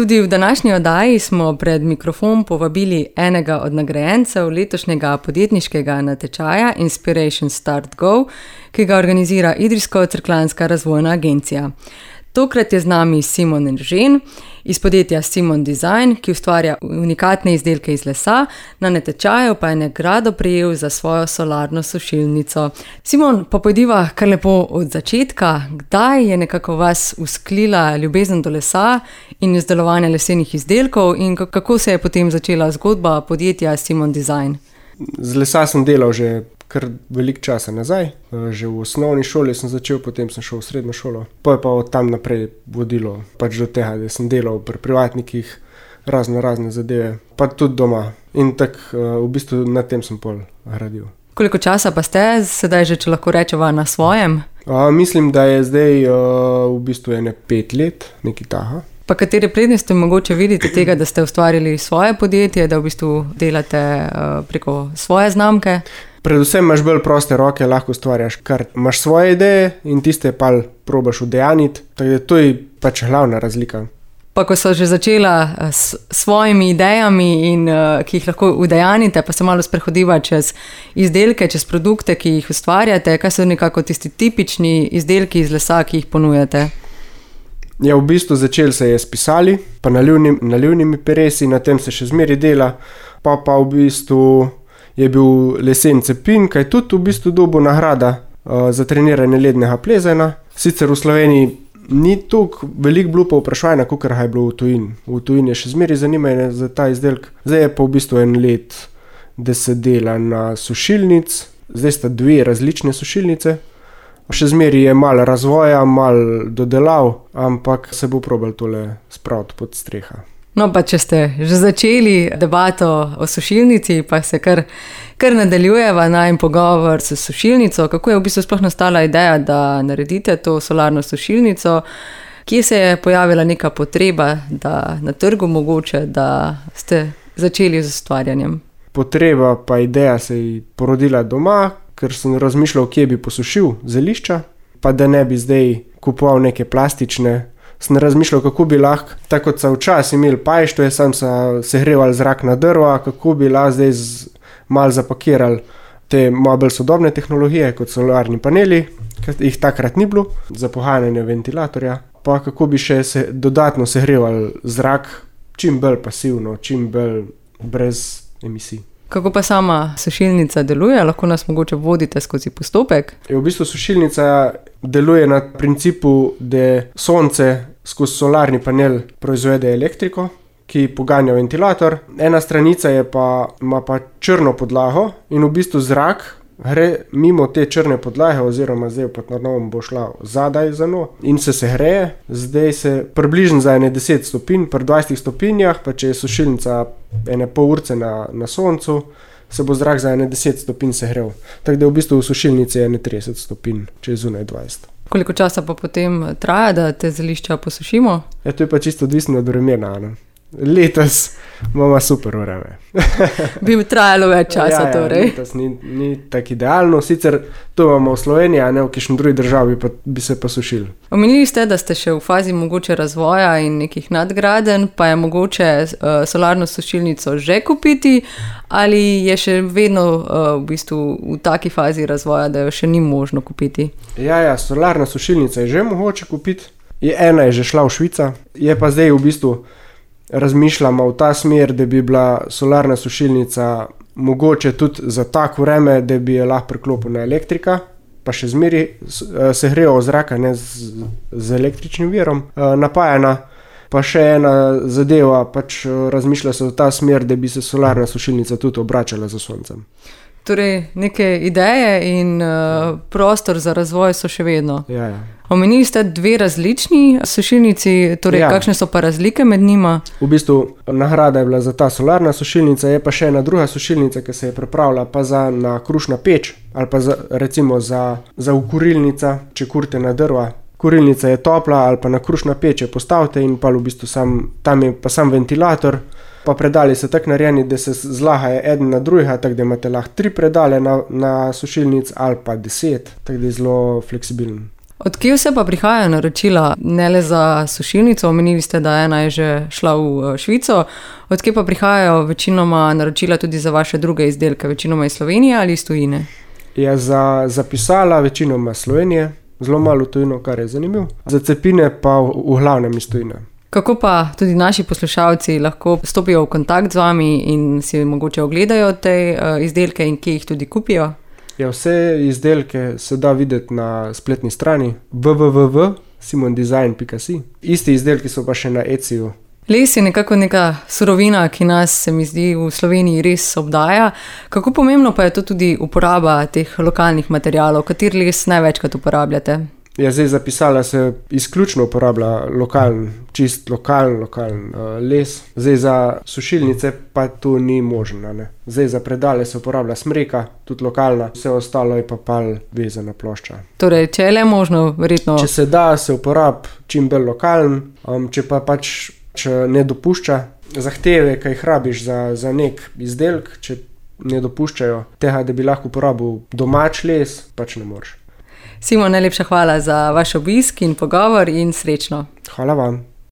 Tudi v današnji oddaji smo pred mikrofon povabili enega od nagrajencev letošnjega podjetniškega natečaja Inspiration Start Go, ki ga organizira Idrijsko-Cerkljanska razvojna agencija. Tokrat je z nami Simon Eržen iz podjetja Simon Design, ki ustvarja unikatne izdelke iz lesa, na natečaju pa je nagrado prejel za svojo solarno sušilnico. Simon, pa pojdiva kar lepo od začetka. Kdaj je nekako vas usklila ljubezen do lesa in izdelovanja lesenih izdelkov in kako se je potem začela zgodba podjetja Simon Design? Z lesa sem delal že kar veliko časa nazaj. Že v osnovni šoli sem začel, potem sem šel v srednjo šolo. Pa je pa od tam naprej vodilo pač do tega, da sem delal pri privatnikih razne zadeve, pa tudi doma. In tako v bistvu na tem sem pol gradil. Koliko časa pa ste sedaj že, če lahko rečeva, na svojem? Mislim, da je zdaj v bistvu 5 let, nekaj taha. Pa katere prednosti mogoče vidite tega, da ste ustvarili svoje podjetje, da v bistvu delate preko svoje znamke? Predvsem imaš bolj proste roke, lahko ustvarjaš, kar imaš svoje ideje in tiste pa probaš udejaniti. Tako da to je pač glavna razlika. Pa ko so že začela s svojimi idejami in ki jih lahko udejanite, pa se malo sprehodiva čez izdelke, čez produkte, ki jih ustvarjate, kaj so nekako tisti tipični izdelki iz lesa, ki jih ponujate? Ja, v bistvu začeli se je s pisali, pa nalivnimi peresi, na tem se še zmeri dela, pa v bistvu je bil lesen cepin, kaj tudi v bistvu dobil nagrada za treniranje lednega plezanja. Sicer v Sloveniji ni toliko veliko bilo povpraševanja, kakor je bilo v tujini. V tujini je še zmeri zanimanje za ta izdelek. Zdaj je pa v bistvu 1 let, da se dela na sušilnic. Zdaj sta 2 različne sušilnice. Še zmeri je malo razvoja, malo dodelav, ampak se bo probal tole spraviti pod streha. No, pa če ste že začeli debato o sušilnici, pa se kar nadaljujeva najin pogovor s sušilnico. Kako je v bistvu sploh nastala ideja, da naredite to solarno sušilnico? Kje se je pojavila neka potreba, da na trgu mogoče, da ste začeli z ustvarjanjem? Potreba pa ideja se je porodila doma, ker sem razmišljal, kje bi posušil zelišča, pa da ne bi zdaj kupoval neke plastične. Sem razmišljal, kako bi lahko, tako kot so včasih imeli pajštve, sam segrevali zrak na drva, kako bi lahko zdaj malo zapakirali te malo bolj sodobne tehnologije, kot solarni paneli, ki jih takrat ni bilo, za poganjanje ventilatorja, pa kako bi še dodatno segrevali zrak čim bolj pasivno, čim bolj brez emisij. Kako pa sama sušilnica deluje? Lahko nas mogoče vodite skozi postopek? V bistvu sušilnica deluje na principu, da sonce skozi solarni panel proizvede elektriko, ki poganja ventilator. Ena stranica ima pa črno podlago in v bistvu zrak gre mimo te črne podlage, oziroma zdaj pod novom bo šla zadaj za njo in se segreje. Zdaj se približno za 10 stopinj, pri 20 stopinjah, pa če je sušilnica 1,5 urce na soncu, se bo zrak za 10 stopinj segrel. Tako da v bistvu v sušilnici je 30 stopinj, če je zunaj 20. Koliko časa pa potem traja, da te zelišča posušimo? Ja, to je pa čisto odvisno od vremena. Letos imamo super vreme. Bi trajalo več časa, torej. Letos ni tako idealno, sicer to imamo v Sloveniji, a ne v kakšni drugi državi bi se pa sušili. Omenili ste, da ste še v fazi mogoče razvoja in nekih nadgradenj, pa je mogoče solarno sušilnico že kupiti, ali je še vedno v bistvu v taki fazi razvoja, da jo še ni možno kupiti? Ja, solarna sušilnica je že mogoče kupiti. Ena je že šla v Švico, je pa zdaj v bistvu razmišljamo v ta smer, da bi bila solarna sušilnica mogoče tudi za tako vreme, da bi je lahko priklopil na elektrika, pa še zmeri segreva zraka, ne z električnim virom napajana. Pa še ena zadeva, pač razmišlja se v ta smer, da bi se solarna sušilnica tudi obračala za soncem. Torej, neke ideje in prostor za razvoj so še vedno. Ja. Omenili ste 2 različni sušilnici, torej kakšne so pa razlike med njima? V bistvu nagrada je bila za ta solarna sušilnica, je pa še ena druga sušilnica, ki se je pripravila pa na krušna peč ali pa recimo za ukurilnica, če kurite na drva. Kurilnica je topla ali pa na krušna peč je postavite in pa v bistvu tam je pa sam ventilator, pa predali so tako narejeni, da se zlagajo eden na drugega, tako da imate lahko 3 predale na sušilnic ali pa 10, tako da je zelo fleksibilen. Od kje vse pa prihajajo naročila, ne le za sušilnico, omenili ste, da ena je že šla v Švico, od kje pa prihajajo večinoma naročila tudi za vaše druge izdelke, večinoma iz Slovenije ali iz tujine? Ja, za pisala večinoma Slovenije, zelo malo tujino, kar je zanimivo. Za cepine pa v glavnem iz tujine. Kako pa tudi naši poslušalci lahko stopijo v kontakt z vami in si mogoče ogledajo te izdelke in kje jih tudi kupijo? Ja, vse izdelke se da videti na spletni strani www.simondesign.si. Isti izdelki so pa še na Etsyu. Les je nekako neka surovina, ki nas, se mi zdi, v Sloveniji res obdaja. Kako pomembno pa je to tudi uporaba teh lokalnih materialov? Kateri les največkrat uporabljate? Ja, zdaj za pisala se izključno uporablja čist lokalen les. Zdaj za sušilnice pa to ni možno, ne. Zdaj za predale se uporablja smreka, tudi lokalna, vse ostalo je pa pal vezana plošča. Torej, če je le možno, verjetno... Če se da, se uporab čim bolj lokalen, če pa pač ne dopušča zahteve, kaj jih rabiš za nek izdelek, če ne dopuščajo tega, da bi lahko uporabil domač les, pač ne moreš. Simon, najlepša hvala za vaš obisk in pogovor in srečno. Hvala vam.